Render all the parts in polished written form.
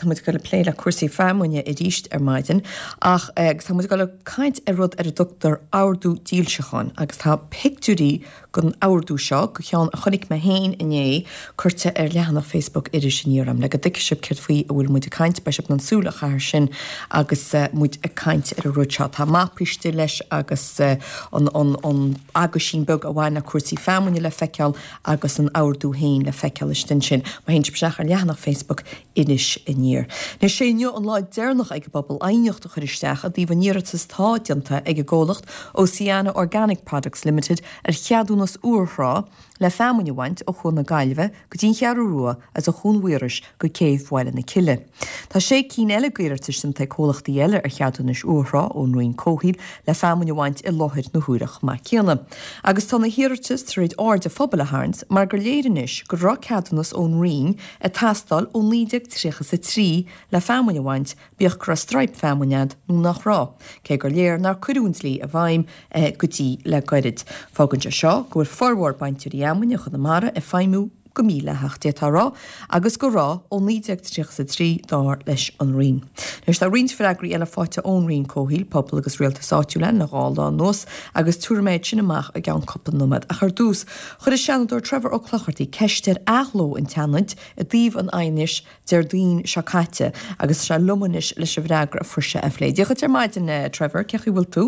Tá muid ag dul ag plé le cúrsaí feamainne arís ar maidin ach agus tá muid ag dul ag caint ar rud ar a dtugtar ordú dílseacháin agus tá pictiúirí den ordú seo, de cheann a chonaic mé féin inné, curtha ar leathanach Facebook Iris Aniar agam le go dtuigfidh sibh céard faoi a bhfuil muid ag caint. Beidh sibh in ann súil a chaitheamh air sin agus muid ag caint ar an rud seo. Tá mapa istigh leis agus an an aguisín beag a bhain le cúrsaí feamainne le feiceáil agus an ordú féin le feiceáil istigh ansin. Má théann sibh isteach ar leathanach Facebook Iris Aniar. Anois, sé inniu an lá deireanach ag an bpobal aighneacht a chur isteach i dtaobh an iarratas atá déanta ag an gcomhlacht Oceana Organic Products Limited ar cheadúnas uachthrá le feamainn a bhaint ó Chuan na Gaillimhe go dtí an Cheathrú Rua agus ó Chuan Mhaorais go céibh Bhaile na Cille. Tá sé cinn eile d'iarratais déanta ag comhlachtaí eile ar cheadúnais uachthrá ón Roinn Comhshaoil le feamainn a bhaint i láthair na huaire chomh maith céanna. Agus tá na hiarratais tar éis aird an phobail a tharraingt mar gur léir anois go raibh ceadúnas ón Roinn ag teastáil ó 1933 le feamainn a bhaint, bíodh go raibh straidhp feamainne a'd nó nach raibh, cé gur léir nár cuireadh an dlí i bhfeidhm go dtí le goirid. Fágann sé seo go bhfuil formhór bainteoirí fheamainne Chonamara ag feidhmiú go mídhleathach, d'fhéadfá a rá, agus go raibh ó 1933 dar leis an Roinn. Anois tá roinnt freagraí eile faighte ón Roinn Comhshaoil, Pobal agus Rialtais Áitiúil againn le dhá lá anuas agus tabharfaidh mé iad sin amach i gceann cúpla nóiméad. Ach ar dtús, chuir an Seanadóir Trevor Ó Clochartaigh ceist ar athló an tSeanaid i dtaobh an aighnis Déardaoin seo caite agus tá sé liom anois leis an bhfreagra a fuair sé a phlé. Dia dhuit ar maidin, a Trevor, cén chaoi a bhfuil tú?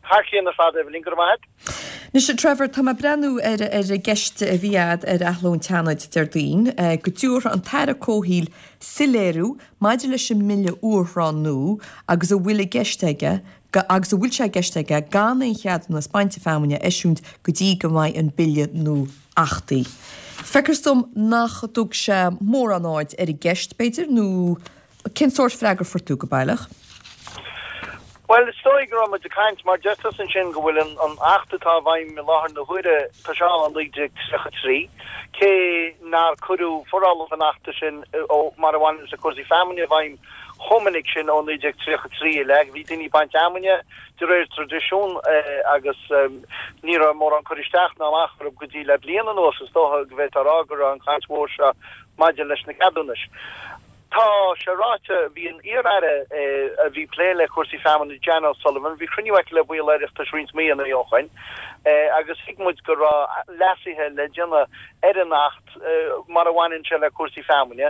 Thar cionn ar fad, Eibhlín, go raibh maith agat. Anois, a Trevor, tá mé ag breathnú ar ar an gceist a bhí a'd ar athló an tSeanaid Déardaoin, go dtabharfadh an tAire Comhshaoil soiléiriú maidir leis an mBille Uachthrá nua agus a bhfuil i gceist aige agus an bhfuil sé i gceist aige gan aon cheadúnas bainte feamainne a eisiúint go dtí go mbeidh an Bille nua achtaithe. Feictear dom nach dtug sé mórán aird ar an gceist, b'fhéidir, nó cén sórt freagra a fuair tú go baileach? Bhuel, is dóigh go raibh muid ag caint, mar deir tusa ansin go bhfuil an Acht atá i bhfeidhm i láthair na huaire, tá sé ann ó 1933, cé nár cuireadh forálacha an Achta sin mar a bhaineann le cúrsaí feamainne i bhfeidhm chomh minic sin ó 1933 i leith. Bhí daoine ag baint fheamainne de réir traidisiún agus ní raibh mórán cur isteach ná amach orthu go dtí le bliain anuas, is dócha go bhféadfá a rá go raibh an chaint mhór seo maidir leis na ceadúnais. Tá sé ráite, bhí an iar-aire a bhí ag plé le cúrsaí feamainne, Jan O'Sullivan, bhí cruinniú aici le baill Oireachtais roinnt míonna ó shoin agus thuig muid go raibh leasuithe le déanamh ar an Acht mar a bhaineann sé le cúrsaí feamainne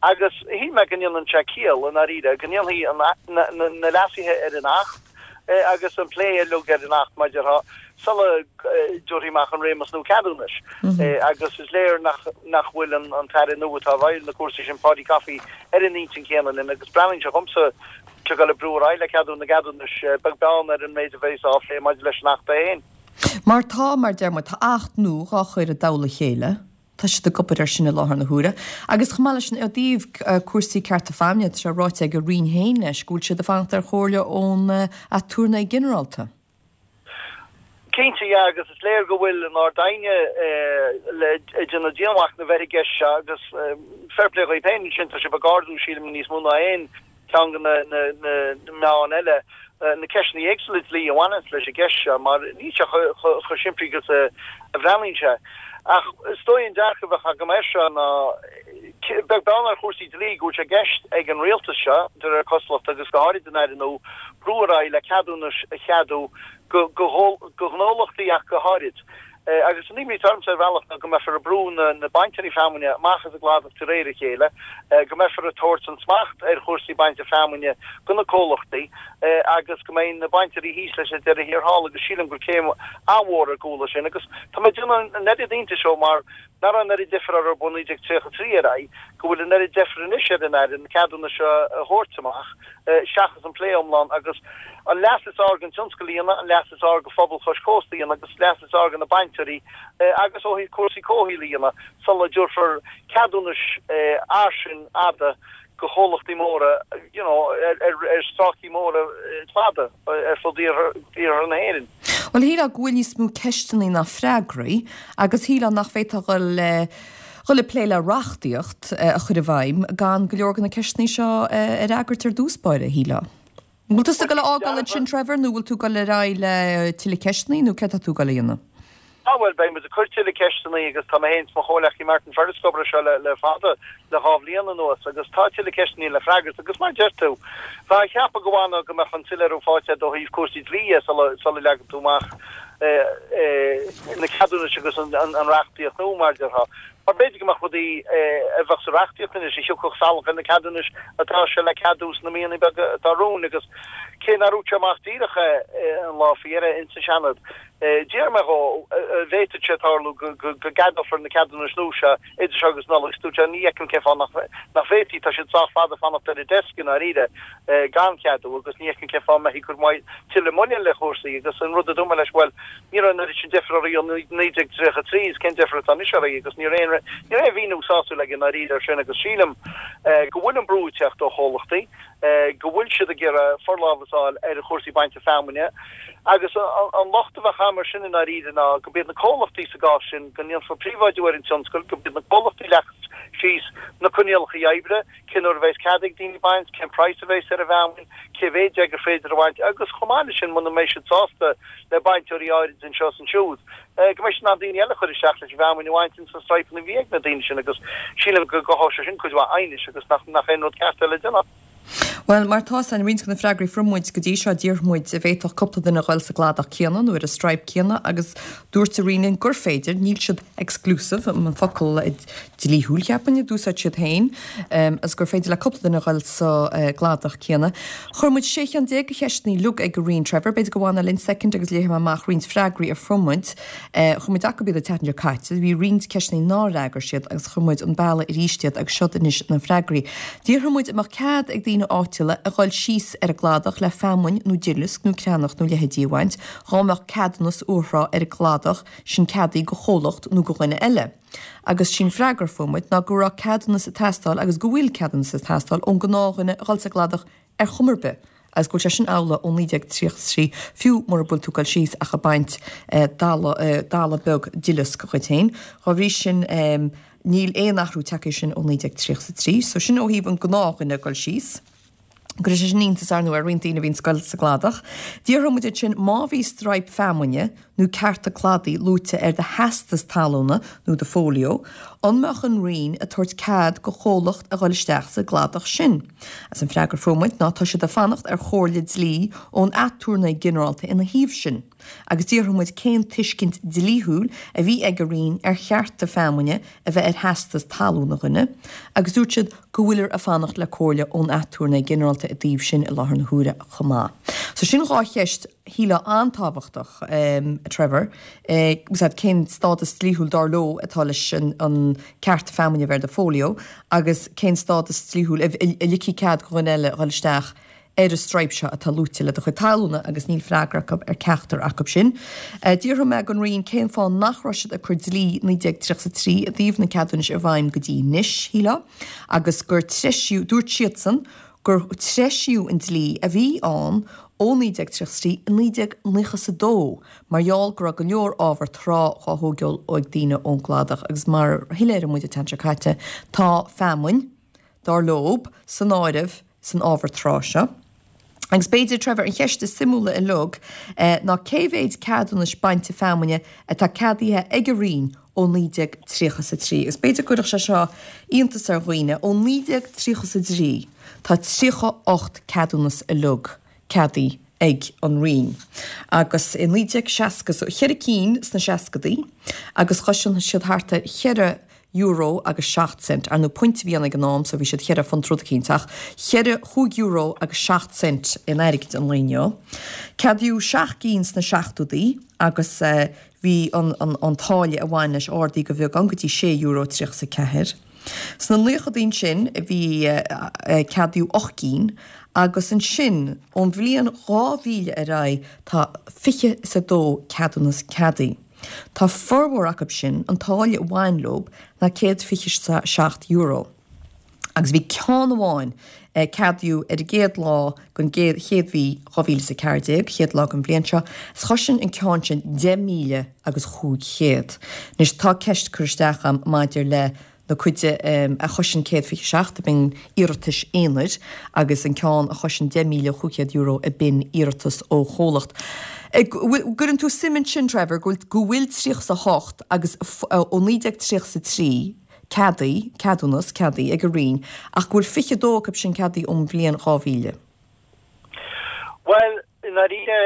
agus shíl mé go ndéanann sé ciall, i ndáiríre, go ndéanfaí na leasuithe ar an Acht agus an plé uilig ar an Acht, mar a déarfá, sula dtabharfaí amach an réimeas nua ceadúnais. Agus is léir nach bhfuil an tAire nua atá i bhfeighil na cúrsaí sin, Paudie Coffey, ar an intinn chéanna linn agus breathnaíonn sé dhomsa ag dul ag brú ar aghaidh le ceadú na gceadúnais, beag beann ar an méid a bheas á phlé maidir leis an Acht é féin. Mar tá, mar deir muid, tá Acht nua dhá chur i dtoll a chéile. Tá siad ag obair air sin i láthair na huaire. Agus chomh maith leis sin, i dtaobh cúrsaí cearta feamainne, tá sé ráite ag an Roinn féin leis go bhfuil siad ag fanacht ar chomhairle ón Aturnae Ginearálta. Cinnte, yeah, agus is léir go bhfuil an Ard-Aighne ag déanamh dianmhachnaimh ar an gceist seo agus fair play dhaoib féin ansin, tá sibh ag ardú, sílim, níos mó ná aon cheann de na meáin eile, na ceisteanna éagsúla dlí a bhaineanns leis an gceist seo mar níl sé chomh simplí agus a bhreathnaíonn sé. Ach is dóigh an dearcadh a bheadh agam air seo ná, beag beann ar chúrsaí dlí, go bhfuil sé i gceist ag an rialtas seo, de réir cosúlachta agus go háirid an Aire nua, brú ar aghaidh le ceadúnais a cheadú go gnólachtaí ach go háirid. Agus an imní atá ormsa ar bhealach ná go mbeifear ag brú na bainteoirí feamainne amach as an gcladach de réir a chéile, go mbeifear ag tabhairt an smacht ar chúrsaí bainte feamainne go na comhlachtaí agus go mbeidh na bainteoirí thíos leis ar deireadh thiar thall agus sílim gur céim an-mhór ar gcúl é sin agus tá mé ag déanamh an oiread iontais ó mar nach raibh an oiread deifir orthu ó 1933 ar aghaidh go bhfuil an oiread deifir anois ar an Aire na ceadúnais seo a thabhairt amach. seachas an plé iomlán agus an leas is fhearr don tionscal a dhéanamh, an leas is fearr do phobal chois cósta a dhéanamh agus leas is fearr do na bainteoirí agus ó thaobh cúrsaí comhshaoil a dhéanamh sula dtabharfar ceadúnais fhairsing fhada do chomhlachtaí móra you know ar stráicí móra cladaigh ar fud iarthar na hÉireann. Bhuel, shílfeá go bhfuil níos mó ceisteanna ná freagraí agus shílfeá nach bhféadfá dhul le dhul ag plé le reachtaíocht a chur i bhfeidhm gan go leor de na ceisteanna seo a fhreagairt ar dtús báire, shílfeá. An bhfuil tusa ag dul a fhágáil ansin, Trevor, nó bhfuil tú ag dul ar aghaidh le tuilleadh ceisteanna nó céard tá tú ag dul a dhéanamh? Ah bhuel, beidh muid ag cur tuilleadh ceisteanna agus tá mé féin is mo chomhleacaí Martin Ferris ag obair air seo le fada, le 2 bhliain anuas, agus tá tuilleadh ceisteanna le freagairt agus mar a deir tú, bheifeá ag ceapadh go bhfanfadh go mbeadh an soiléiriú faighte agat ó thaobh cúrsaí dlí dhe sula leagann tú amach na ceadúnais agus an reachtaíocht nua mar a déarfá. Mar b'fhéidir go mbeadh rudaí a bheadh sa reachtaíocht anois a thiocfadh salach ar na ceadúnais atá sé le ceadú sna míonna beaga atá romhainn agus cé nár dhúirt sé amach díreach é an lá faoi dheireadh ins an Seanad, D'iarr mé dhó an bhféadfadh sé tarlú go gceadófar na ceadúnais nua seo idir seo agus Nollaig is dúirt sé ní fheicim cén fáth nach bhféadfaí, tá siad sách fada fanacht ar an desk i ndáiríre gan cheadú agus ní fheicim cén fáth a mbeifí ag cur tuilleadh moille le chúrsaí agus an rud a dúirt mé leis, bhuel, ní raibh an oiread sin deifir oraibh ó 1933 is cén deifir atá anois oraibh agus ní raibh aon mhíniú sásúil aige i ndáiríre ar sin agus sílim go bhfuil an brú ag teacht ó chomhlachtaí. go bhfuil siad ag iarraidh forlámhas a fháil ar chúrsaí bainte feamainne agus an locht a bheadh agam air sin i ndáiríre ná go b'iad na comhlachtaí sa gcás sin, go ndéanfar príobháidiú ar an tionscal, go b'iad na comhlachtaí a leagfas síos na coinníollacha oibre, cén uair a bheas cead ag daoine baint, cén praghas a bheas ar an bhfeamainn, cé mhéad de gur féidir a bhaint agus chomh maith leis sin muna mbeidh siad sásta le bainteoirí áirid anseo is ansiúd, go mbeidh siad in ann daoine eile a chur isteach leis an bhfeamainn a bhaint ins na straidhpeanna a bhí ag na daoine sin agus sílim go gcothódh sé sin cuid mhaith aighnis agus nach aon rud ceart é le déanamh. Bhuel, mar tá san, roinnt de na freagraí a fuair muid go dtí seo, d'iarr muid an bhféadfadh cúpla duine a ghoil sa gcladach céanna nó ar an straidhp céanna agus dúirt an Roinn linn gur féidir, níl siad exclusive, an focal dlíthiúil, cheapfainn, a d'úsáid siad féin, agus gur féidir le cúpla duine a ghoil sa gcladach céanna. Chuir muid 16 cheann de cheisteanna uilig ag an Roinn, Trevor. B'fhéidir go bhfanfá linn soicind agus léifidh mé amach roinnt freagraí a fuair muid. Chuir muid acu iad an tseachtain seo caite. Bhí roinnt ceisteanna nár fhreagair siad agus chuir muid an bealach arís iad agus siod anois na freagraí. D'fhiafraigh muid an mbeadh cead ag daoine áitiúla a ghoil síos ar an gcladach le feamainn nó duileasc nó creannach nó leithéidí a bhaint dhá mbeadh ceadúnas urthrá ar an gcladach sin ceadaithe go chomhlacht nó go dhuine eile. Agus sí'n freagra a fuair muid ná go raibh ceadúnas ag teastáil agus go bhfuil ceadúnas ag teastáil ón gnáthdhuine a dhul sa gcladach ar chuma ar bith agus go bhfuil sé sin amhlaidh ó 1933 fiú mura bhfuil tú ag dul síos ach ag baint dalladh dalladh beag duileasc dhuit féin. Dhá bhrí sin níl aon athrú tagtha air sin ó 1933. So sin ó thaobh an gnáthdhuine ag dul síos. Cuirfidh sé sin iontas, ar ndóigh, ar roinnt daoine a bhíonn ag goil sa gcladach. D'fhiafraigh muid ansin má bhí straidhp feamainne nó cearta cladaigh luaite ar do theastas talúna nó do fóilió, an mbeadh an Roinn ag tabhairt cead go chomhlacht a dhul isteach sa gcladach sin? Agus an freagra a fuair muid ná tá siad ag fanacht ar chomhairle dlí ón Aturnae Ginearálta ina thaobh sin. Agus d'fhiafraigh muid cén tuiscint dlíthiúil a bhí ag an Roinn ar chearta feamainne a bheith ar theastas talúna dhuine, agus dúirt siad go bhfuilear ag fanacht le comhairle ón Aturnae Ginearálta i dtaobh sin i láthair na huaire chomh maith. So sin dhá cheist shílfeá an-tábhachtach, a Trevor, úsáid cén stádas dlíthiúil dar leo atá leis an cearta feamainne a bheith ar do fóilió agus cén stádas dlíthiúil a ligfidh cead do dhuine eile a dhul isteach ar an straidhp seo atá luaite le do chuid talúna agus níl freagra acu ar ceachtar acu sin. D'fhiafraigh mé den Roinn cén fáth nach raibh siad ag cur dlí 1933 i dtaobh na ceadúnais i bhfeidhm go dtí anois, shílfeá, agus gur treisíodh, dúirt siadsan gur treisíodh an dlí a bhí ann ó 1933 i 1992 mar gheall go raibh go leor ábhar trá dhá thóigeáil ag daoine ón gcladach agus mar a shoiléirigh muid an tseachtain seo caite tá feamainn, dar leob, san áireamh san ábhar trá seo. Agus b'fhéidir, Trevor, an cheist is suimiúla uilig ná cé mhéid ceadúnais bainte feamainne atá ceadaithe ag an Roinn ó 1933? Agus b'fhéidir go gcuirfeadh sé seo iontas ar dhaoine, ó 1933 tá 38 ceadúnas uilig ceadaithe ag an Roinn. Agus i 1960, so cheithre cinn sna seascadaí, agus chosain siad thart ar cheithre euro agus seacht cent. Ar ndóigh punt a bhí ann ag an am so bhí siad cheithre phunt rud eicínt ach cheithre, chúig euro agus seacht cent in airgead an lae inniu. Ceadaíodh seacht gcinn sna seachtódaí agus bhí an an an táille a bhain leis ardaithe go bheagán go dtí sé euro 34. Sna naochadaí ansin bhí ceadaíodh ocht gcinn agus ansin ón bhliain 2000 ar aghaidh tá 22 ceadúnas ceadaithe. Tá formhór acu sin, an táille a bhain leob ná €127. Agus bhí ceann amháin a ceadaíodh ar an gcéad lá den chéad mhí 2014, chéad lá den bhliain seo, is chosain an ceann sin 10,000 agus 500. Anois tá ceist curtha isteach agam maidir le. Na cuid a choiseann 127 a b'in iarratais aonair agus an ceann a choiseann €10,500 a b'in iarratas ó chomhlacht. Gcuireann tú suim ansin, Trevor, go bhfuil 38 agus ó 1933 ceadaithe, ceadúnas ceadaithe ag an Roinn ach go bhfuil 22 acu sin ceadaithe ón bhliain 2000. Bhuel, i ndáiríre,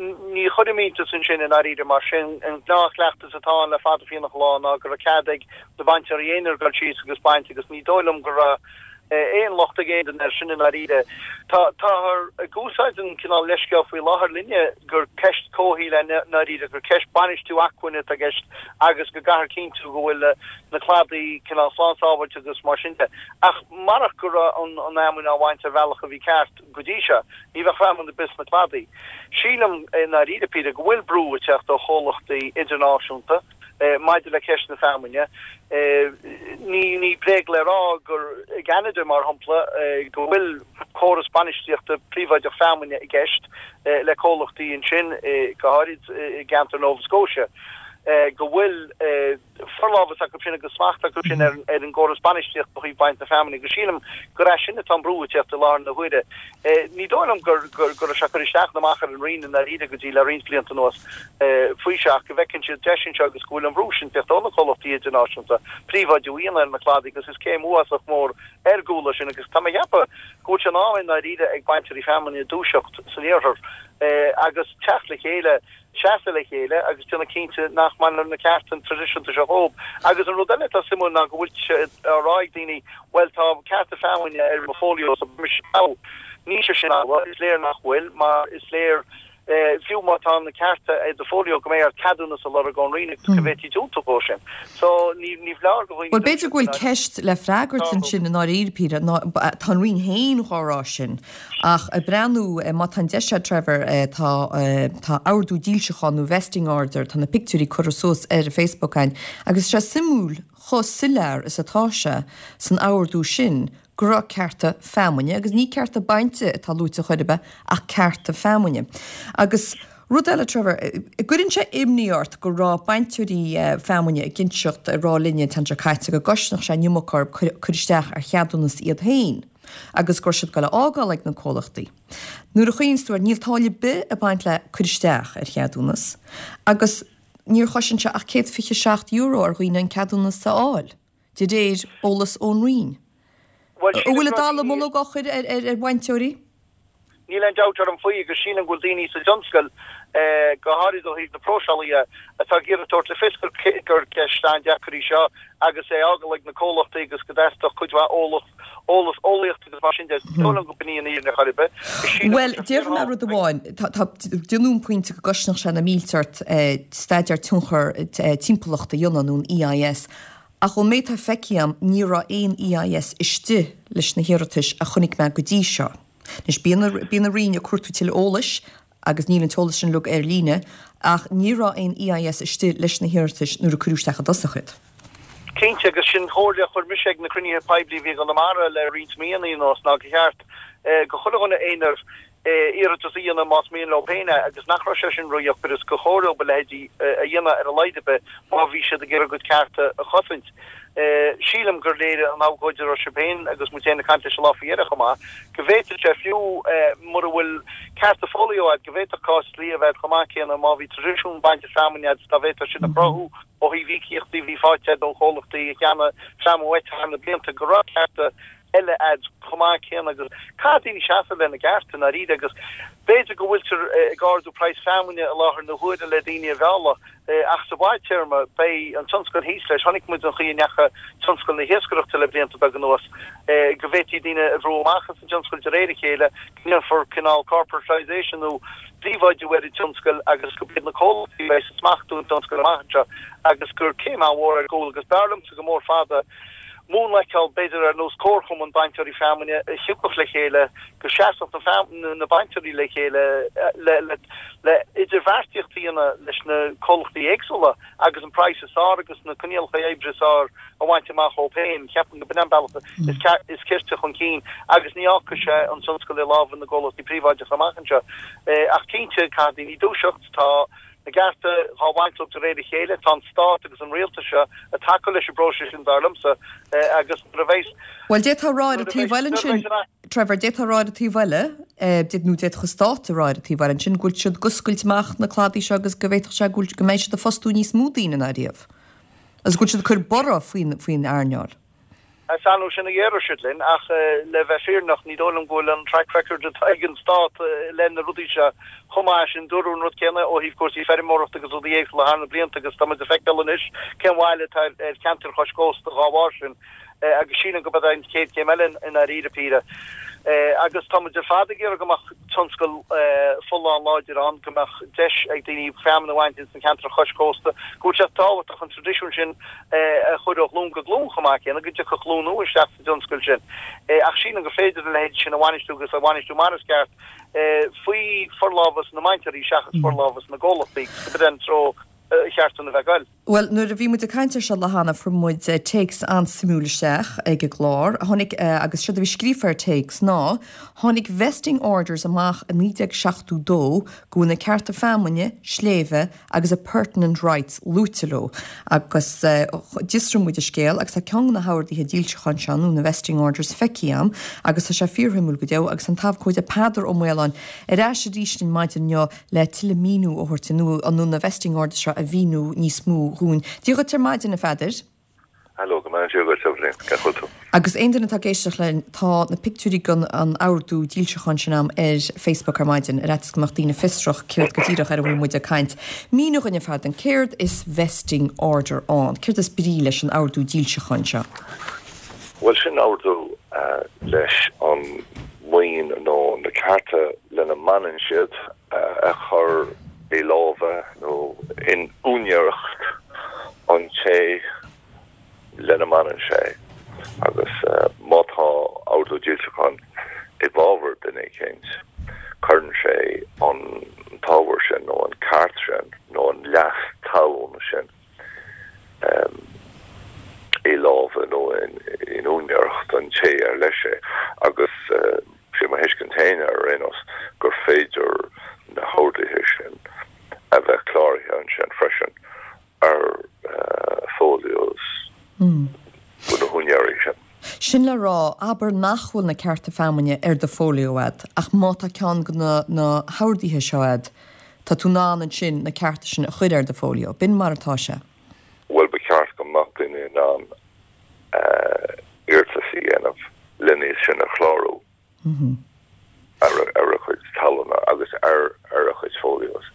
ní chuirim iontas ansin i ndáiríre mar sin an gnáthchleachtas atá ann le fada fiánach an lá ná go raibh cead ag na bainteoirí aonair dul síos agus baint agus ní dóigh liom go raibh aon locht ag aon duine air sin i ndáiríre. Tá, táthar ag úsáid an cineál leithscéal faoi láthair linne gur ceist comhshaoil é i ndáiríre, gur ceist bainistiú acmhainne atá i gceist agus go gcaithfear cinntiú go bhfuil na cladaí cineál slán sábháilte agus mar sin de. Ach marach go raibh an fheamainn á bhaint ar bhealach a bhí ceart go dtí seo, ní bheadh feamainn ar bith sna cladaí. Sílim i ndáiríre píre go bhfuil brú ag teacht ó chomhlachtaí idirnáisiúnta maidir le ceist na feamainne. Ní bréag le rá gur i gCeanada, mar shampla, go bhfuil córas bainistíochta príobháideach feamainne i gceist le comhlachtaí ansin, go háirid i gceantar Nova Scotia, go bhfuil forlámhas acu sin agus smacht acu sin ar an gcóras bainistíochta ó thaobh baint na feamainne agus sílim gur as sin atá an brú ag teacht i láthair na huaire. Ní dóigh liom go raibh sé ag cur isteach ná amach ar an Roinn i ndáiríre go dtí le roinnt blianta anuas faoi seo ach go bhfeiceann siad deis anseo agus go bhfuil an brú sin ag teacht ó na comhlachtaí idirnáisiúnta príobháidiú a dhéanamh ar na cladaí agus is céim uafásach mór ar gcúl é sin agus tá mé ag ceapadh go bhfuil sé in am i ndáiríre ag bainteoirí feamainne dúiseacht san iarthar agus teacht le chéile seasamh le chéile agus déanamh cinnte nach mbainfear na cearta traidisiúnta seo dhóibh. Agus an rud eile atá suimiúil ná go bhfuil sé á rá ag daoine, bhuel tá cearta feamainne ar mo fholio so beidh mise togha. Níl sé sin amhlaidh, is léir nach bhfuil, mar is léir fiú má tá na cearta ar do fholio go mbeidh ort ceadúnas a lorg ón Roinn agus go bhféadfaí diúltú dhó sin. So ní ní foláir do dhaoine Bhuel b'fhéidir go bhfuil ceist le freagairt ansin i ndáiríre píre, ná tá an Roinn féin dhá rá sin. Ach ag breathnú, má tá an deis agat Trevor, tá tá ordú dílseacháin nó vesting order, tá na pictiúirí curtha suas ar Facebook againn agus tá sé suimiúil chomh soiléir is atá sé san ordú sin go raibh cearta feamainne, agus ní cearta bainte atá luaite chor ar bith ach cearta feamainne. Agus rud eile Trevor, gcuireann sé imní ort go raibh bainteoirí feamainne ag inseacht, ag rá linne an tseachtain seo caite go gcosnódh sé an iomarca orthu cur isteach ar cheadúnas iad féin. agus go raibh siad ag dul a fhágáil ag na comhlachtaí. Nuair a chuimhníonns tú air, níl táille ar bith ag baint le cur isteach ar cheadúnas agus níor chosain sé ach €127 ar dhaoine an ceadúnas a fháil, de réir eolas ón Roinn. An bhfuil an dallamullóg á chur ar bhainteoirí? Níl aon dabht orm faoi agus sílim go bhfuil daoine sa dtionscal, go háirid ó thaobh na próiseála dhe, atá ag iarraidh tabhairt le fios gur ceist an-deacair í seo agus é a fhágáil ag na comhlachtaí agus go dteastódh cuid mhaith eolas, eolaíocht agus mar sin de. Ní dóigh liom go b'in í an fhírinne chor ar bith. Sílim Bhuel, déarfaidh mé rud amháin, tá, déanaim an pointe go gcosnódh sé na mílte ort staidéar tionchar timpeallachta a dhéanamh nó an EIS Ach ón méid atá feicthe agam, ní raibh aon EIS istigh leis na hiarratais a chonaic mé go dtí seo. Anois, bíonn bíonn an Roinn ag cuartú tuilleadh eolais, agus níl an t-eolas sin uilig ar líne, ach ní raibh aon EIS istigh leis na hiarratais nuair a cuireadh isteach i dtosach iad. Cinnte, agus sin comhairle a chuir mise ag na cruinnithe poiblí a bhí i gConamara le roinnt míonna anuas, ná gur cheart do chuile dhuine aonair iarratas a dhéanamh más mian leo féin é agus nach raibh sé sin ródheacair is gur chóir dóibh a leithéidí a dhéanamh ar a laghad ar bith má bhí siad ag iarraidh a gcuid cearta a chosaint. Sílim gur léirigh an abhcóide a raibh sibh féin agus muid féin ag caint leis an lá faoi dheireadh chomh maith go bhféadfadh sé fiú mura bhfuil cearta folió agat go bhféadfadh cás dlí a bheith chomh maith céanna má bhí traidisiún bainte feamainne agat dá bhféadfá sin a chruthú ó thaobh íocaíochtaí a bhí faighte agat ó chomhlachtaí a cheannaigh feamainn uait thar na blianta go raibh cearta eile agat chomh maith céanna agus caithfidh daoine seasamh lena gcearta i ndáiríre agus b'fhéidir go bhfuiltear ag ardú praghas feamainne i láthair na huaire le daoine a mhealladh ach sa bhfadtéarma beidh an tionscal thíos leis. Chonaic muid an chaoi a ndeachaigh tionscal na hiascaireachta le blianta beaga anuas, go bhféadfaí daoine a bhrú amach as an dtionscal de réir a chéile, go ndéanfar cineál corporatisation nó príobháidiú ar an tionscal agus go mbeidh na comhlachtaí a bheidh ag smachtú an tionscail amach anseo agus gur céim an-mhór ar gcúl agus b'fhearr liomsa go mór fada múnla a fheiceáil, b'fhéidir ar nós comharchumann bainteoirí feamainne a thiocfadh le chéile, go seasfadh na bainteoirí le chéile le idirbheartaíocht a dhéanamh leis na comhlachtaí éagsúla agus an praghas is fearr agus na coinníollacha oibre is fearr a bhaint amach dhóibh féin. Ceapaim go b'in an bealach is cirte chun cinn agus ní fhágfaidh sé an tionscal i lámha na gcomhlachtaí príobháideacha amach anseo. Ach cinnte, caithfidh daoine dúiseacht. Tá. Na gcearta dhá bhaint leo de réir a chéile. Tá an Stát agus an Rialtas seo ag tacú leis an bpróiseas sin, dar liomsa, agus nuair a bheas. Bhuel, d'fhéadfá a rá ar an taobh eile ansin, Trevor, d'fhéadfá a rá ar an taobh eile, nó d'fhéadfadh an Stát a rá ar an taobh eile ansin, go bhfuil siad ag oscailt amach na cladaí seo agus go bhféadfadh sé go bhfuil, go mbeidh siad ag fostú níos mó daoine ná riamh. Agus go bhfuil siad ag cur borradh faoin, faoin earnáil. Is annamh sin a dhéarfadh siad linn, ach le bheith fírinneach, ní dóigh liom go bhfuil an track record atá ag an Stát i leith na rudaí seo chomh maith sin. Dúradh an rud céanna ó thaobh cúrsaí feirmeoireachta agus rudaí éagsúla thar na blianta agus tá muid ag feiceáil anois cén bhail atá ar cheantair chois cósta dhá bharr sin. Agus sílim go b'é an chéad chéim eile i ndáiríre píre. Agus tá muid ar fad ag iarraidh go mbeadh tionscal folláin láidir ann, go mbeadh deis ag daoine feamainn a bhaint ins na ceantair chois cósta, go bhfuil sé tábhachtach an traidisiún sin a chur ó ghlúin go glúin chomh maith céanna, go dtiocfadh glúin nua isteach sa dtionscal sin. Ach sílim gur féidir a leithéid sin a bhainistiú agus a bhainistiú mar is ceart faoi forlámhas na mbainteoirí seachas forlámhas na gcomhlachtaí, agus go b'in an treo cheart dúinn a bheith ag goil. Bhuel, nuair a bhí muid ag caint ar seo lá cheana, fuair muid téacs an-suimiúil isteach ag an gclár. Tháinig, agus séard a bhí scríofa ar téacs ná, Tháinig Vesting Orders amach i 1972 go bhfuil na cearta feamainne, sléibhe agus appurtenant rights luaite leo. Agus d'fhiosraigh muid an scéal agus tá ceann de na horduithe dílseacháin seo, nó na Vesting Orders, feicthe agam agus tá sé fíorshuimiúil go deo agus an t-abhcóide Peadar Ó Maoláin ar ais arís linn maidin inniu le tuilleadh míniú a thabhairt nó na vesting orders seo a mhíniú níos mó dhúinn. Dia dhuit ar maidin, a Pheadair. Hello, go mbeannaí Dia dhuit, Eibhlín. Cén chaoi a bhfuil tú? Agus aon duine atá ag éisteacht linn, tá na pictiúirí den an ordú dílseacháin sin a'm ar Facebook ar maidin, ar fhaitíos go mbeadh daoine fiosrach céard go díreach ar a bhfuil muid ag caint. Mínigh dhúinn, a Pheadair, céard is vesting order ann? Céard is brí leis an ordú dílseacháin seo? Bhuel, sin ordú leis an maoin nó na cearta lena mbaineann siad a chur i lámha nó in úinéireacht an té lena mbaineann sé agus má tá ordú dílseacháin i bhfabhar duine eicínt, cuireann sé an t-ábhar sin nó an ceart sin nó an leas talún sin i lámha nó in úinéireacht an té ar leis é agus sé mo thuiscint féin ar aon nós gur féidir na horduithe sin a bheith cláraithe ansin freisin ar folios na húinéirí sin. Sin le rá, abair nach bhfuil na cearta feamainne ar do folio a'd ach má tá ceann de na horduithe seo a'd, Tá tú in ann ansin na cearta sin a chur ar do folio. B'in mar atá sé. Bhuel, ba cheart go mbeadh duine in ann iarratas a dhéanamh len iad sin a chlárú ar a chuid talúna agus ar a chuid folios.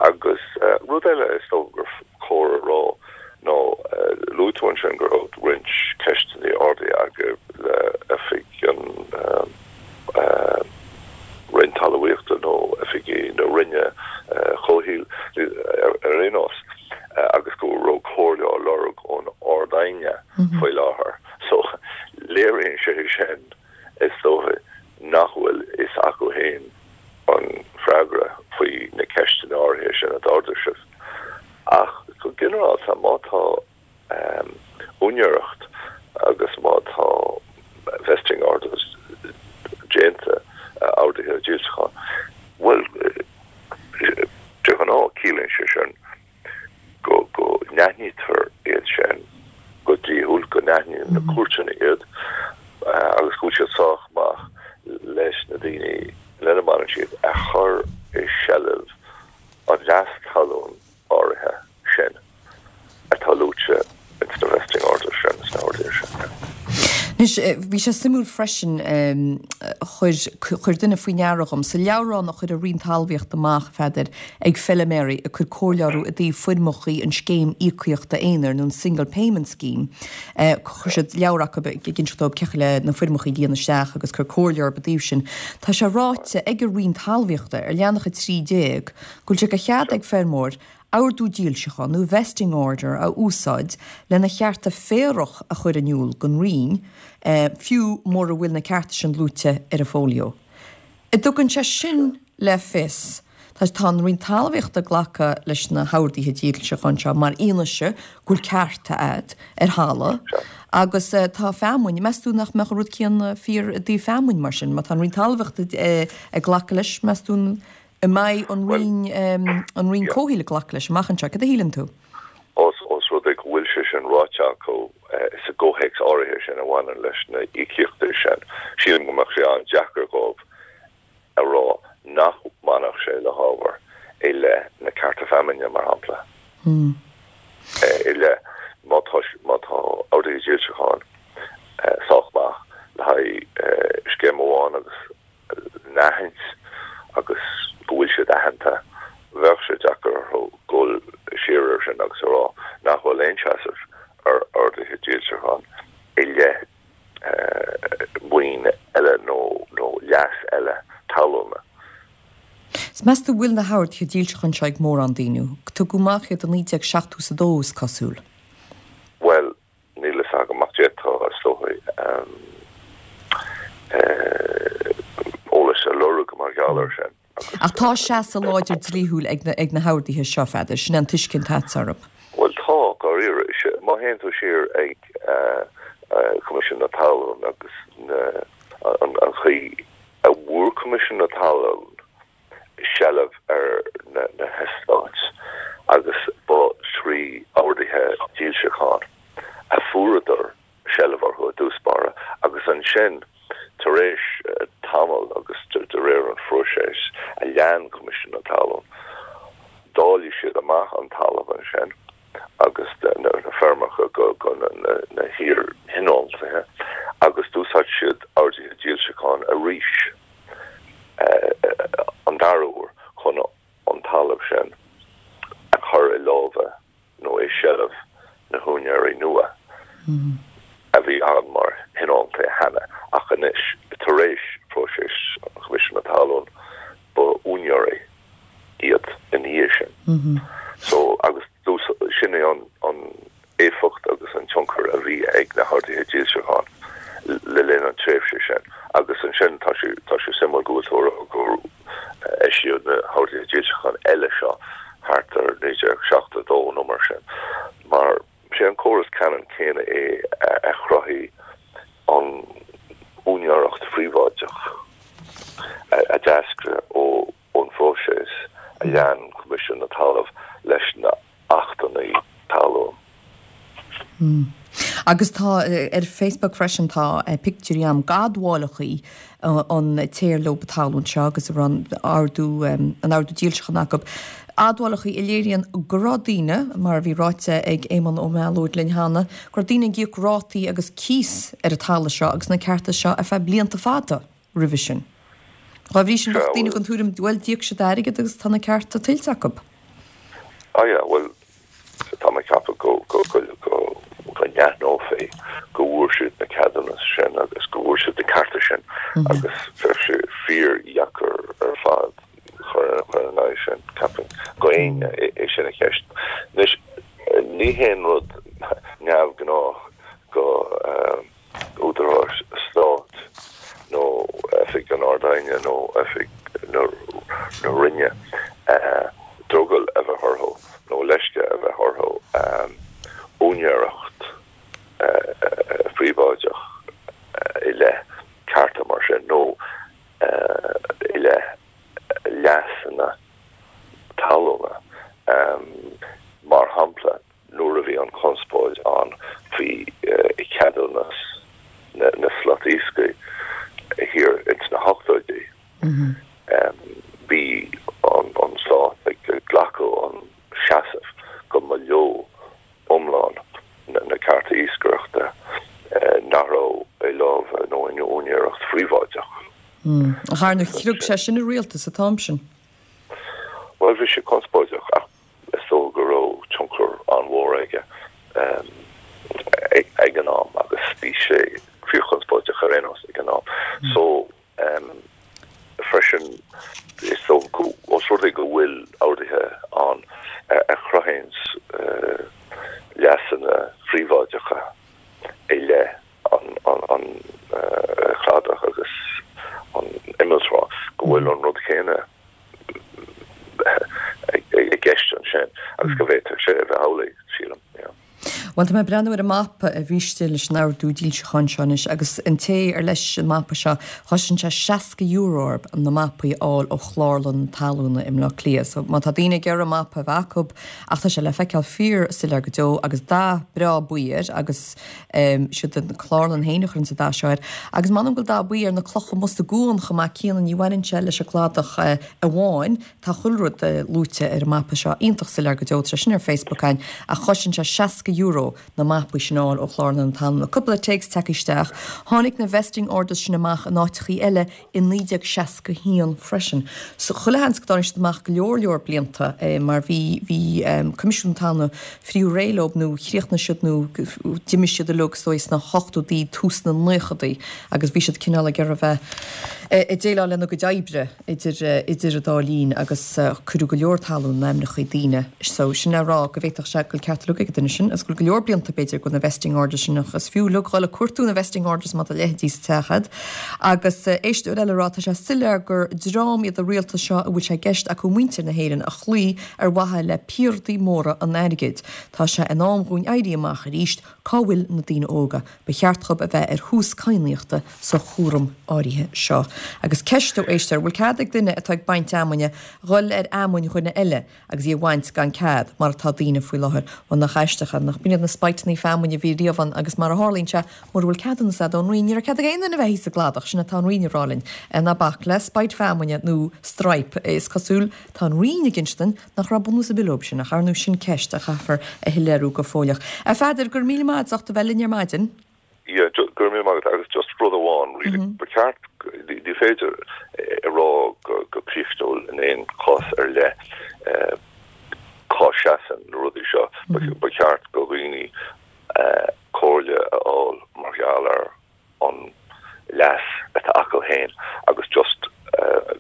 Agus rud eile is dócha gur chóir a rá ná, luaigh tú ansin go raibh roinnt ceisteanna ardaithe agaibh le oifig an Roinn Talmhaíochta nó oifigigh na Roinne Comhshaoil ar aon nós agus go raibh comhairle á lorg ón Ard-Aighne faoi láthair. So, léiríonn sé sin, is dóigh, nach bhfuil fhios acu féin an freagra faoi na ceisteanna áirithe sin a d'ardaigh sibh. Ach go ginearálta, má tá úinéireacht agus má tá vesting orders déanta, orduithe dílseacháin, bhuel, de ghnáth ciallaíonn sé sin go go n-aithnítear iad sin go dlíthiúil, go n-aithníonn na cúirteanna iad agus go bhfuil siad sách maith leis na daoine lena mbaineann siad a chur i seilbh an leas talún áirithe sin atá luaite ins na vesting orders sin, sna horduithe sin. Anois, bhí sé suimiúil freisin, chuir, chuir duine faoi ndeara dhom, sa leabhrán a chuir an Roinn Talmhaíochta amach, a Pheadair, ag feiliméaraí ag cur comhairle orthu i dtaobh foirmeachaí an scéim íocaíochta aonair nó an Single Payment Scheme, chuir siad leabhar acu ag inseacht dóibh cén chaoi le na foirmeachaí a líonadh isteach agus cur comhairle orthu i dtaobh sin. Tá sé ráite ag an Roinn Talmhaíochta ar leathanach 13 go bhfuil sé de chead ag feirmeoir ordú dílseacháin nó vesting order a úsáid lena chearta féarach a chur in iúl don Roinn, fiú mura bhfuil na cearta sin luaite ar a fólio. An dtugann sé sin le fios, tá tá an Roinn Talmhaíochta ag glacadh leis na horduithe dílseacháin seo mar fhianaise go bhfuil cearta agat ar thalamh agus tá feamainn, meas tú nach mbeadh an rud céanna fíor i dtaobh feamainn mar sin? Má tá an Roinn Talmhaíochta ag glacadh leis, meas tú an. An mbeidh an Roinn, an Roinn Comhshaoil ag glacadh leis amach anseo? Cad a shíleann tú? Ós rud é go bhfuil sé sin ráite acu sa gcomhthéacs áirithe sin a bhaineann leis na híocaíochtaí sin, sílim go mbeadh sé an-deacair dhóibh a rá nach mbainfeadh sé le hábhar i leith na cearta feamainne, mar shampla. I leith, má tá, má tá orduithe dílseacháin sách maith le haghaidh scéim amháin agus n-aithint agus go bhfuil siad aitheanta, bheadh sé deacair orthu dul siar air sin agus a rá nach bhfuil aon seasamh ar orduithe dílseacháin i leith maoin eile nó leas eile talúna. 'S meas tú bhfuil na horduithe dílseacháin seo ag mórán daoine? Tugadh amach iad i 1972 is cosúil. Bhuel, Níl fhios agam ach d'fhéadfá, is dóigh, eolas a lorg mar gheall air sin agus. Ach tá seasamh láidir dlíthiúil ag na horduithe seo, a Pheadair, sin é an tuiscint atá orthu. Bhuel tá, dháiríre. Má théann tú siar ag Coimisiún na Talún agus an chaoi a bhfuair Coimisiún na Talún seilbh ar na heastáit agus ba thrí orduithe dílseacháin a fuaireadar seilbh orthu i dtús báire agus ansin tar éis tamaill agus de réir an phróiseas a lean Coimisiún na Talún, dáiligh siad amach an talamh ansin agus na feirmeacha go na hiar-thionóntaithe agus d'úsáid siad orduithe dílseacháin arís. an dara huair chun an talamh sin a chur i lámha nó i seilbh na húinéirí nua a bhí ann mar thionóntaithe cheana ach anois, tar éis phróiseas Choimisiún na Talún, ba úinéirí iad ina dhiaidh sin. So, agus sin é an éifeacht agus an tionchar a bhí ag na horduithe dílseacháin le linn an tréimhse sin. Agus ansin tá sé tá sé suimiúil go bhfuil tú ag rá gur eisíodh na horduithe dílseacháin eile seo thart ar 1972 nó mar sin, mar sé an córas ceannann céanna é a chruthaigh an úinéireacht phríobháideach a d'eascraigh ó ón phróiseas a lean Coimisiún na Talmhan leis na Achtanna Talún. Agus tá ar Facebook freisin tá pictiúirí ann d'admhálachaí an té ar leo an talún seo agus a raibh an ordú an ordú dílseacháin acu. Admhálachaí a léiríonn go raibh daoine, mar a bhí ráite ag Éamonn Ó Meallóid linn cheana, go raibh daoine ag íoc rátaí agus cíos ar an talamh seo agus na cearta seo ar feadh blianta fada. roimhe sin. Dá bhrí sin, bheadh daoine den tuairim, bhuel, d'íoc siad airgead agus tá na cearta tuillte acu. Ah yeah, bhuel, tá mé ag ceapadh go, go, go, go, go n-aithneofaí go bhfuair siad na ceadúnas sin agus go bhfuair siad na cearta sin agus bheadh sé fíordheacair ar fad chur chur ina aghaidh sin, ceapaim, go éinne é sin a cheistiú. Anois, ní haon rud neamhghnách go, eh, údaráis stáit nó Oifig an Ard-Aighne nó Oifig na Roinne drogall a bheith orthu nó leisce a bheith orthu úinéireacht phríobháideach i leith cearta mar sin nó i leith leasanna talúna, mar shampla. Nuair a bhí an chonspóid ann faoi cheadúnas na slat iascaigh thiar ins na hochtóidí, bhí an stát ag glacadh an seasamh go mba leo iomlán na cearta iascaireachta nach raibh i lámha nó in úinéireacht phríobháideach. Ach ar ndóigh chrog sé sin an rialtas an t-am sin. Bhuel, bhí sé conspóideach ach Is dócha go raibh tionchar an-mhór aige ag an am agus bhí sé fíorchonspóideach ar aon nós ag an am. So, freisin, is dócha go, ós rud é go bhfuil orduithe ann a chruthaíonn leasanna phríobháideacha i leith an chladach agus an imealltrá, go bhfuil an rud céanna i gceist ansin agus go bhféadfadh sé a bheith amhlaidh, sílim. Yeah. Bhuel, tá mé ag breathnú ar an mapa a bhí istigh leis an ordú dílseacháin seo anois agus an té ar leis an mapa seo, chosain sé €60 orthu na mapaí a fháil ó Chlárlann na Talúna i mBleá Cliath. So má tá daoine ag iarraidh mapa a bheith acu, ach tá sé le feiceáil fíor soiléir go deo agus dath breá buí air agus siad an Chlárlann féin a chuireann an dath seo air. Agus m'anam go bhfuil dath buí ar na clocha amuigh sa gcuan chomh maith céanna, ní bhaineann sé leis an gcladach amháin. Tá chuile rud luaite ar an mapa seo, iontach soiléir go deo, tá sé sin ar Facebook againn, ach chosain sé €60 na mapaí sin a fháil ó Chlárlann na Talún. Cúpla téacs tagtha isteach. Tháinig na vesting orders sin amach in áiteachaí eile i 1961 freisin. So chuile sheans go dtáinig siad amach go leor leor blianta mar bhí, bhí Coimisiún na Talún fríothadh réidh leo nó chríochnaigh siad nó d'imigh siad uilig is dóigh sna hochtódaí, tús na naochadaí agus bhí siad cineál ag iarraidh a bheith ag déileáil lena gcuid oibre. idir idir an dá linn agus cuireadh go leor talún in ainmneachaí daoine so sin le rá go bhféadfadh sé go bhfuil ceart uilig ag an duine sin agus go bhfuil go leor blianta b'fhéidir go na vesting orders sin ach is fiú uilig dhul ag cuartú na vesting orders má tá a leithéidí sa teach a'd. Agus éisteoir eile ag rá tá sé soiléir gur dream iad an rialtas seo a bhfuil sé i gceist acu muintir na hÉireann a chloí ar mhaithe le piardaí móra an airgid. Tá sé in am dhúinn éirí amach arís, cá bhfuil na daoine óga? Ba cheart dhób a bheith ar thús cadhnaíochta sa chúram áirithe seo. Agus ceist ó éisteoir, bhfuil cead ag duine atá ag baint fheamainne dhul ar fheamainn dhuine eile agus í a bhaint gan cead, mar atá daoine faoi láthair? Bhuel, nach aisteach é, nach b'in iad na spiteannaí feamainne a bhí riamh ann agus mar a tharlaíonn sé, mura bhfuil ceadúnas a'd ón Roinn, ní raibh cead ag aon duine a bheith thíos sa gcladach, sin atá an Roinn ag rá linn. Ná bac le spite feamainne nó stripe, is cosúil, tá an Roinn ag inse duinn Nach raibh bunús ar bith leob sin, ach ar ndóigh sin ceist a chaithfear a shoiléiriú go fóilleach. A Pheadair, go raibh míle maith agat as ucht a bheith linn ar maidin. Yeah, go raibh míle maith agat agus just rud amháin really, ba cheart, ní féidir a rá go críochnúil in aon chás ar leith cá seasann na rudaí seo, ba cheart go dhaoine comhairle a fháil mar gheall ar an leas atá acu féin agus just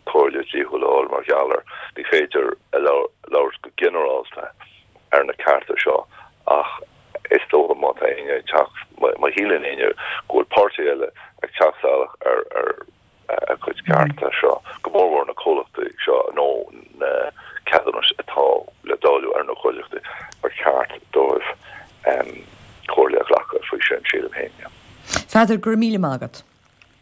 comhairle dhlíthiúil a fháil mar gheall ar, ní féidir a labhairt go ginearálta ar na cearta seo ach is dócha má tá éinne ag teacht, má shíleann éinne go bhfuil páirtí eile ag teacht salach ar a gcuid cearta seo, go mórmhór na comhlachtaí seo nó na ceadúnais atá le dáileadh ar na comhlachtaí, ba cheart dóibh comhairle a ghlacadh faoi sin, sílim féin. Pheadair, go raibh míle maith agat.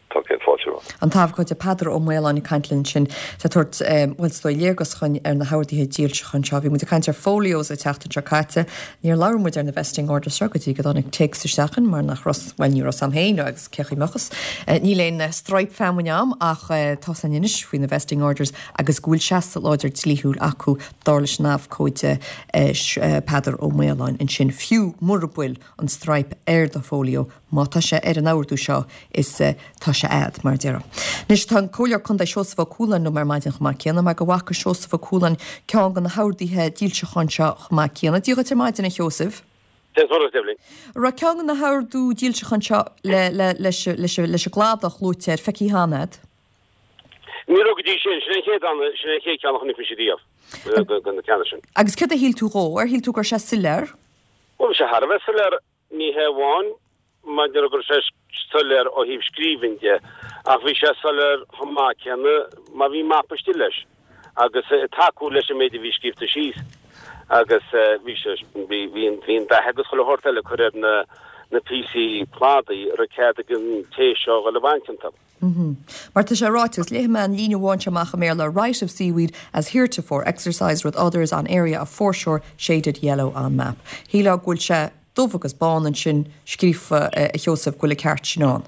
Tá céad fáilte romhat. An t-abhcóide Peadar Ó Maoláin ag caint linn ansin is ag tabhairt, bhuel, is dóigh, léargas dhúinn ar na horduithe dílseacháin seo. Bhí muid ag caint ar folios an tseachtain seo caite. Níor labhair muid ar na vesting orders seo go dtí go dtáinig téacs isteach chugainn mar nach raibh, bhuel, ní raibh 's a'm féin agus cé chaoi mbeadh 'fhios. Níl aon stripe feamainne a'm ach tá 's a'inn anois faoi na vesting orders agus go bhfuil seasamh láidir dlíthiúil acu dar leis an abhcóide Peadar Ó Maoláin ansin, fiú mura bhfuil an stripe ar do folio, má tá sé ar an ordú seo is tá sé a'd, mar a déarfá. Anois tá an Comhairleoir Contae Seosamh Ó Cualáin liom ar maidin chomh maith céanna mar go bhfaca Seosamh Ó Cualáin ceann de na horduithe dílseacháin seo chomh maith céanna. Dia dhuit ar maidin, a Sheosaimh. Dia dhuit, a Eibhlín. An raibh ceann de na hordú dílseacháin seo le, le, leis, leis, leis an gcladach luaite air feicthe cheana a'd? Ní raibh go dtí sin. Sin é an chéad, sin é an chéad cheann a chonaic mise riamh, de na ceanna sin. Agus céard a shíl tú dhó? Ar shíl tú go raibh sé soiléir? Bhuel, bhí sé thar a bheith soiléir, ní hé amháin maidir go raibh sé soiléir ó thaobh scríbhinn de, ach bhí sé soiléir chomh maith céanna mar bhí mapa istigh leis agus ag tacú leis an méid a bhí scríobhta síos agus bhí sé, bhí, bhí an, bhí an dath agus chuile shórt eile curtha ar na, na píosaí cladaigh a raibh cead ag an té seo a dhul ag baint iontu. Mar tá sé ráite, agus léifidh mé an líne amháin seo amach i mBéarla, right of seaweed as heretofore exercised with others on area of foreshore shaded yellow on map. Shílfeá go bhfuil sé dubh agus bán ansin scríofa, a Sheosaimh, go bhfuil an ceart sin ann.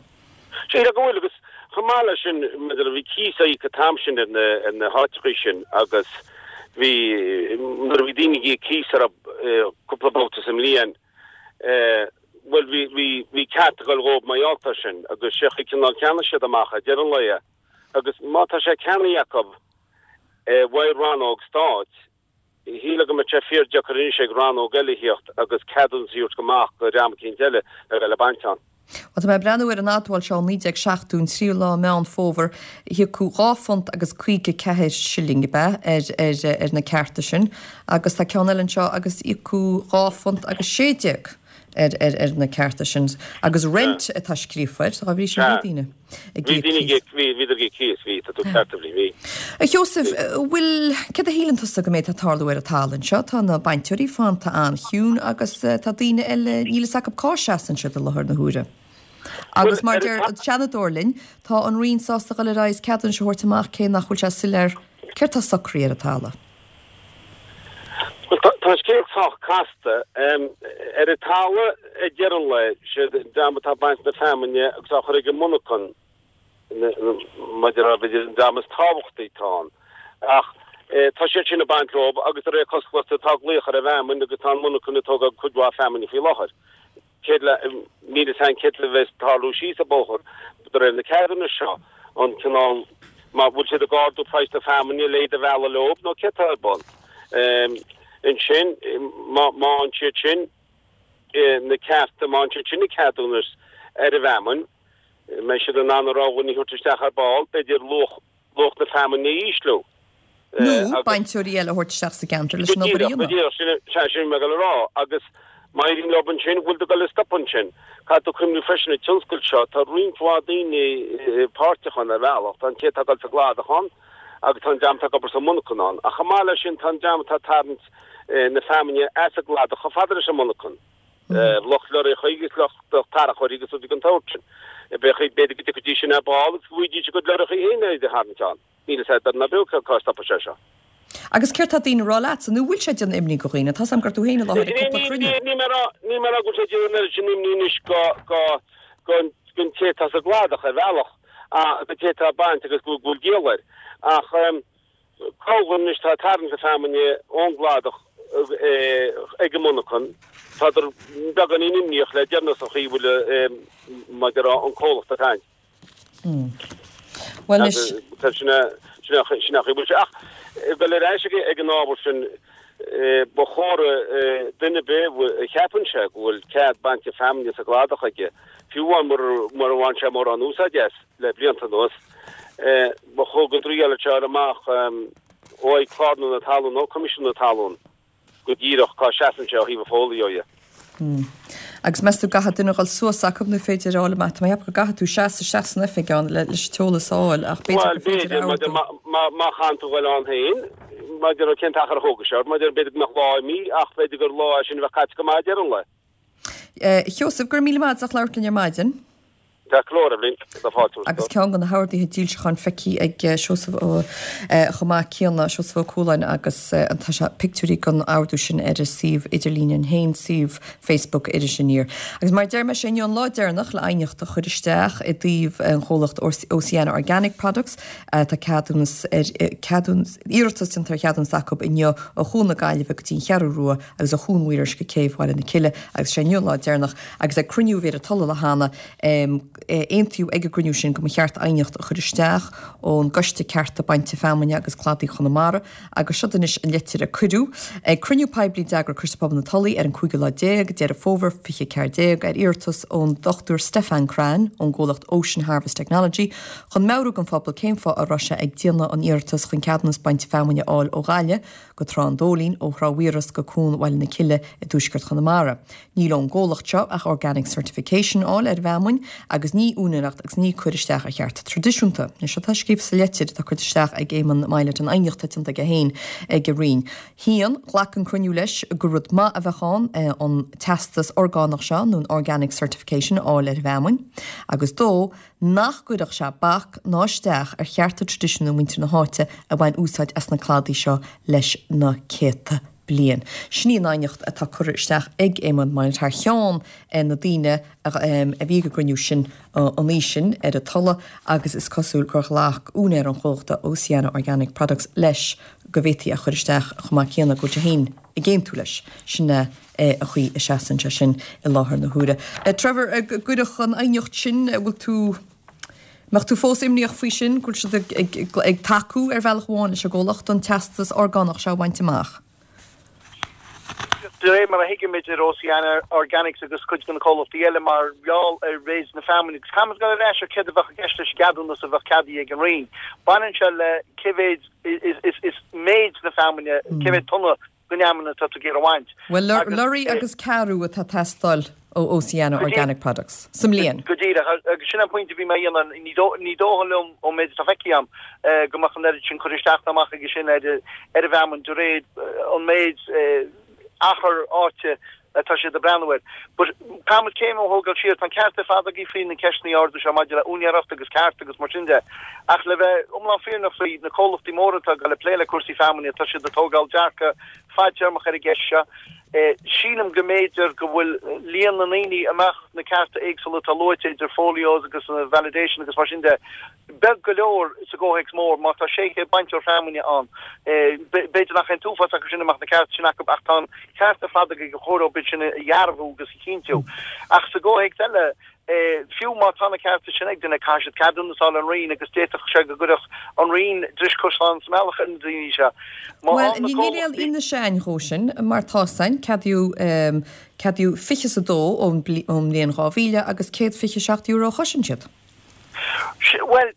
Sílfeá go bhfuil, agus chomh maith leis sin, maidir le, bhí cíos á íoc an t-am sin ar na, ar na háiteachaí sin agus bhí, nuair a bhí daoine ag íoc cíos orthu cúpla babhta sa mbliain, Bhuel, bhí, bhí, bhí ceart ag dul dhóibh mar gheall air sin agus sé an chaoi cineál cheannaigh siad amach ag deireadh an lae agus má tá sé ceannaithe acu uaidh rannóg stáit, shílfeá go mbeadh sé fíor-deacair anois ag rannóg eile a thíocht agus ceadúnas a thabhairt go amach go dhream eicínt eile le dhul ag baint ann. Bhuel, tá mé ag breathnú ar an admháil seo ó 1970, an tríú lá Meán Fómhair, híocadh dhá phunt agus 54 silling, ab ea, ar, ar, ar na cearta sin. Agus tá ceann eile anseo agus íocadh dhá phunt agus 16. Ar ar na cearta sin. Agus rent atá scríofa air, dá bhrí sin bhí daoine ag íoc cíos. Bhí, bhíodar ag íoc cíos, bhí, tá tú ceart Eibhlín, bhí. A Sheosaimh, bhfuil, céard a shíleann tusa go mbeidh ag tarlú ar an talamh anseo? Tá na bainteoirí fanta an-chiúin agus tá daoine eile, níl fhios acu cá seasann siad i láthair na huaire. Agus mar a deir an Seanadóir linn, tá an Roinn sásta dul ar aghaidh is ceadúnais a thabhairt amach cé nach bhfuil sé soiléir céard tá socraithe ar an talamh. Bhuel, tá an scéal sách casta. Ar an talamh, ag deireadh an lae, siad an dream atá ag baint na feamainne agus á chur ag an monarchan, maidir le, b'fhéidir, an dream is tábhachtaí atá ann. Ach tá siad sin ag baint leo agus de réir cosúlachta tá glaoch ar an bhfeamainn agus tá an monarchan ag tógáil cuid mhaith feamainne faoi láthair. Céard le, níl fhios a'inn céard a bheas ag tarlú síos an bóthar de réir na ceadúnais seo, an cineál, má bhfuil siad ag ardú praghas na feamainne le iad a mhealladh leo nó céard tá ar bun. Ansin, má fhaigheann siad sin na cearta, má fhaigheann siad sin na ceadúnais ar an bhfeamainn, mbeidh siad in ann a rogha a thabhairt isteach ar ball, b'fhéidir luach luach na feamainne a ísliú. Nó bainteoirí eile a thabhairt isteach sa gceantar leis an obair a dhéanamh. Go díreach, sin é sin mé ag dul a rá. Agus má éiríonn leo ansin, bhfuil tú ag dul a stopadh ansin? Caithfidh tú cuimhniú freisin an tionscal seo, tá roinnt mhaith daoine páirteach ann ar bhealach. Tá an té atá ag dul sa gcladach ann agus tá an dream atá ag obair sa monarchan ann. Ach chomh maith leis sin, tá an dream atá ag tarraingt na feamainne as an gcladach chomh fada leis an monarchan. Lucht lorraíocha agus lucht tarracóirí agus rudaí den tsórt sin. B'fhéidir go dtiocfaidís sin ar ball agus go bhfaighidís a gcuid lorraíocha féin le iad a tharraingt ann. Níl fhios a'd ná beo cá stopfaidh sé seo. Agus céard tá daoine a rá leatsa? Nó bhfuil sé ag déanamh imní go dhaoine? Tá's a'm go raibh tú féin i láthair ag cúpla cruinniú. Níl mé a rá, níl mé a rá go bhfuil sé ag déanamh an oiread sin imní anois go, go, don té atá sa gcladach ar bhealach, don té atá ag baint agus go bhfuil díol air. Ach. Corrdhuine anois atá ag tarraingt na feamainne ón gcladach ag an monarchan, tádar beagáinín imníoch le deireanas an chaoi a bhfuil mar a déarfá an comhlacht ag caint. Bhuel anois. Sin é an chaoi a bhfuil sé. Ach dul ar ais ag an ábhar sin, ba chóir duine ar bith a cheapann sé go bhfuil cead bainte feamainne sa gcladach aige, fiú amháin murar bhain sé mórán úsáid as le blianta anuas, Ba chóir go dtriailfeadh sé a fháil amach ó Chlárlann na Talún nó Coimisiún na Talún go díreach cá seasann sé ó thaobh an fodhlí dhe. Agus meas tú an gcaithfidh duine dhul suas acu nó féidir a fháil amach? Tá mé ag ceapadh go gcaithfidh tú seasamh isteach san oifig ann leis an t-eolas a fháil ach b'fhéidir gur féidir a ordú. Má chaitheann tú dhul ann féin, maidir le cén t-achar a thógfaidh sé ort, maidir b'fhéidir go mbeadh lá imithe ach b'fhéidir gur lá é sin a bheadh caite go maith ag deireadh an lae. A Sheosaimh, go raibh míle maith agat as labhairt linn ar maidin. Ceart go leor, Eibhlín, tá fáilte romhat. Agus ceann de na horduithe dílseacháin feicthe ag Seosamh Ó chomh maith céanna, Seosamh Ó Cualáin, agus tá sé pictiúirí den ordú sin ar a suíomh idirlín féin, suíomh Facebook Iris Aniar. Agus mar a deir mé, sé inniu an lá deireanach le aighneacht a chur isteach i dtaobh an chomhlacht Oceana Organic Products. Tá ceadúnas ar ceadúnas iarratas déanta ar cheadúnas acu inniu ó Chuan na Gaillimhe go dtí an Cheathrú Rua agus ó Chuan Mhaoilrois go Céibh Bhaile na Cille agus sé inniu an lá deireanach agus ag cruinniú a bhí ar an Tulaigh cheana aontaíodh ag an gcruinniú sin go mba cheart aighneacht a chur isteach ón gCoiste Cearta Bainte Feamainne agus Cladaigh Chonamara agus seod anois an litir a cuireadh ag cruinniú poiblí d'eagraigh Coiste Pobail na Tulaí ar an cúigiú lá déag Deireadh Fómhair 2014 ar iarratas ón Dr Stefan Cran ón gcomhlacht Ocean Harvest Technology chun meabhrú don phobal cén fáth a raibh sé ag déanamh an iarratas chun ceadúnas bainte feamainne a fháil ó Ghaillimh go Trá an Dóilín, ó Thrá Mhaoilrois go Cuan Bhaile na Cille i dtuaisceart Chonamara. Níl ón gcomhlacht seo ach organic certification a fháil ar an bhfeamainn agus ní úinéireacht agus ní cur isteach ar chearta traidisiúnta. Anois seo atá scríofa sa leitir atá curtha isteach ag Éamonn Mylett an aighneacht atá déanta aige féin ag an Roinn. 1, Ghlac an cruinniú leis gur rud maith a bheadh ann an teastas orgánach seo nó an organic certification a fháil ar an bhfeamainn agus 2, nach gcuirfeadh sé bac ná isteach ar chearta traidisiúnta muintir na háite a bhain úsáid as na cladaí seo leis na céadta bliain. Sin í an aighneacht atá curtha isteach ag Éamonn Mylett thar cheann na daoine a bhí ag an gcruinniú sin an oíche sin ar an Tulaigh agus is cosúil gur ghlac úinéir an chomhlachta Oceana Organic Products leis go bhféadfaí a chur isteach chomh maith céanna go bhfuil sé féin ag aontú leis. Sin é. a chaoi a seasann sé sin i láthair na huaire. Trevor, gcuirfeadh an aighneacht sin, bhfuil tú, mbeadh tú fós imníoch faoi sin, go bhfuil siad ag, ag, ag tacú ar bhealach amháin leis an gcomhlacht an teastas orgánach seo a bhaint amach? De réir mar a thuigimid ar Oceana Organics agus cuid de na comhlachtaí eile mar gheall ar mhéid na feamainne agus caithfimid dul ar ais ar céard a bheadh i gceist leis an gceadúnas a bheadh ceadaithe ag an Roinn. Baineann sé le cé mhéid is, is, is méid na feamainne, cé mhéad tonna. Den fheamainn atá tú ag iarraidh a bhaint. Bhuel, lorraí agus ceathrú atá ag teastáil ó Oceana Organic Products sa mbliain. Go díreach, agus sin an pointe a bhí mé a dhéanamh, ní dóigh liom ón méid atá feicthe agam go mbeadh an oiread sin curtha isteach ná amach aige sin ar an bhfeamainn de réir an méid achar áite atá siad ag breathnú air. But caithfidh muid céim a thógáil siar, tá an ceart ar fad agaibh faoi na ceisteanna a ardú seo maidir le úinéireacht agus ceart agus mar sin de. Ach le bheith iomlán fírinneach faoi, na comhlachtaí móra atá ag dul ag plé le cúrsaí feamainne, tá siad ag tógáil dearcadh fadtéarmach ar an gceist seo. Sílim go mb'fhéidir go bhfuil líon na ndaoine a mbeadh na cearta éagsúla atá luaite idir folios agus validation agus mar sin de, beag go leor sa gcomhthéacs mór. Má tá 600 bainteoir feamainne ann, b'fhéidir nach é an t-uafás acu sin a mbeadh na cearta sin acu ach tá an ceart ar fad agaibh gur chóir dóibh iad sin a dhearbhú agus a chinntiú. Ach sa gcomhthéacs eile, fiú má tá na cearta sin ag duine, caithfidh siad ceadúnas a fháil ón Roinn agus d'fhéadfadh sé go gcuirfeadh an Roinn dris caisleáin sa mbealach ar na daoine seo. Má Bhuel, ní níl aon fhianaise againn dhó sin, mar tá's againn, ceadaíodh, ceadaíodh 22 ón mbliain 2000 agus €127 a chosain siad. Bhuel,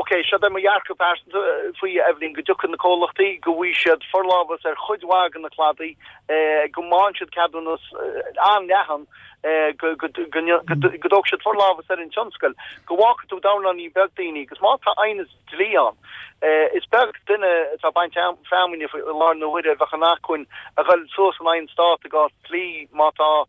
ok, seo é mo dhearcadh pearsanta faoi, a Eibhlín, go dtiocfaidh na comhlachtaí, go bhfaighidh siad forlámhas ar chuid mhaith de na cladaí, go bhfaigheann siad ceadúnas an-leathan, go dtógfaidh siad forlámhas ar an tionscal, go bhfágfaidh tú dornáinín beag daoine, agus má tá aighneas dlí ann, is beag duine atá ag baint feamainne faoi láthair na huaire a bheadh in acmhainn a dhul suas in aghaidh an Stát i gcás dlí má tá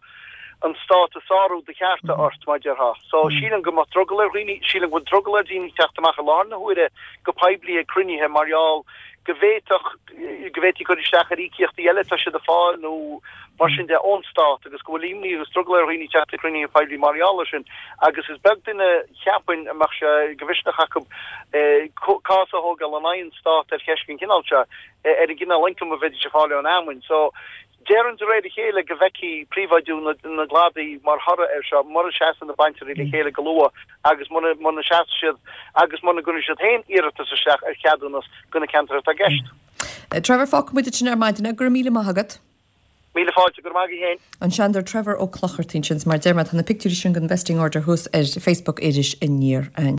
an Stát ag sárú do chearta ort, mar déarfá. So, sílim go mbeadh drogall ar dhaoine, sílim go bhfuil drogall ar dhaoine teacht amach i láthair na huaire go poiblí ag cruinnithe mar gheall go bhféadfadh, go bhféadfaí cur isteach ar íocaíochtaí eile atá siad ag fáil nó mar sin de ón Stát agus go bhfuil imní agus drogall ar dhaoine teacht ag cruinnithe poiblí mar gheall air sin agus is beag duine cheapfainn a mbeadh sé de mhisneach acu cás a thógáil in aghaidh an Stát ar cheist den chineál seo, ar an gcineál ioncaim a bheidís ag fáil ón fheamainn. So. Déarfainn de réir a chéile go bhfeicfí príobháidiú na gcladaí mar thoradh air seo, mura seasann na bainteoirí le chéile go luath agus muna seasfaidh siad agus muna gcuirfidh siad féin iarratas isteach ar cheadúnas do na ceantair atá i gceist. Trevor, fágfaidh muid ansin ar maidin é. Go raibh míle maith agat. Míle fáilte, go raibh maith agat féin. An Seanadóir Trevor Ó Clochartaigh ansin, mar a deir mé, tá na pictiúirí sin den Vesting Order thuas ar Facebook Iris Aniar.